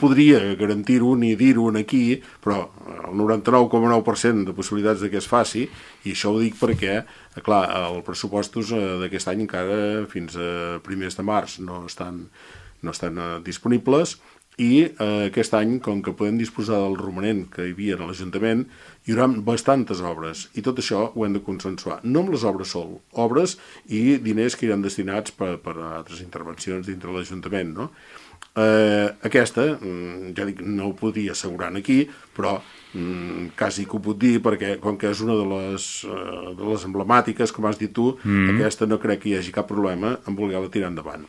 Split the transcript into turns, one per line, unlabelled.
podria garantir-ho ni dir-ho aquí, però el 99,9% de possibilitats que es faci, i això ho dic perquè, clar, els pressupostos d'aquest any encara fins a primers de març no estan disponibles, i aquest any, com que podem disposar del romanent que hi havia a l'Ajuntament, hi haurà bastantes obres, i tot això ho hem de consensuar, no amb les obres sol, obres i diners que iran destinats per a altres intervencions dintre l'Ajuntament, no? Aquesta, ja dic, no ho podria assegurar aquí, però quasi que ho puc dir, perquè com que és una de les emblemàtiques, com has dit tu, aquesta no crec que hi hagi cap problema en voler-la tirar endavant.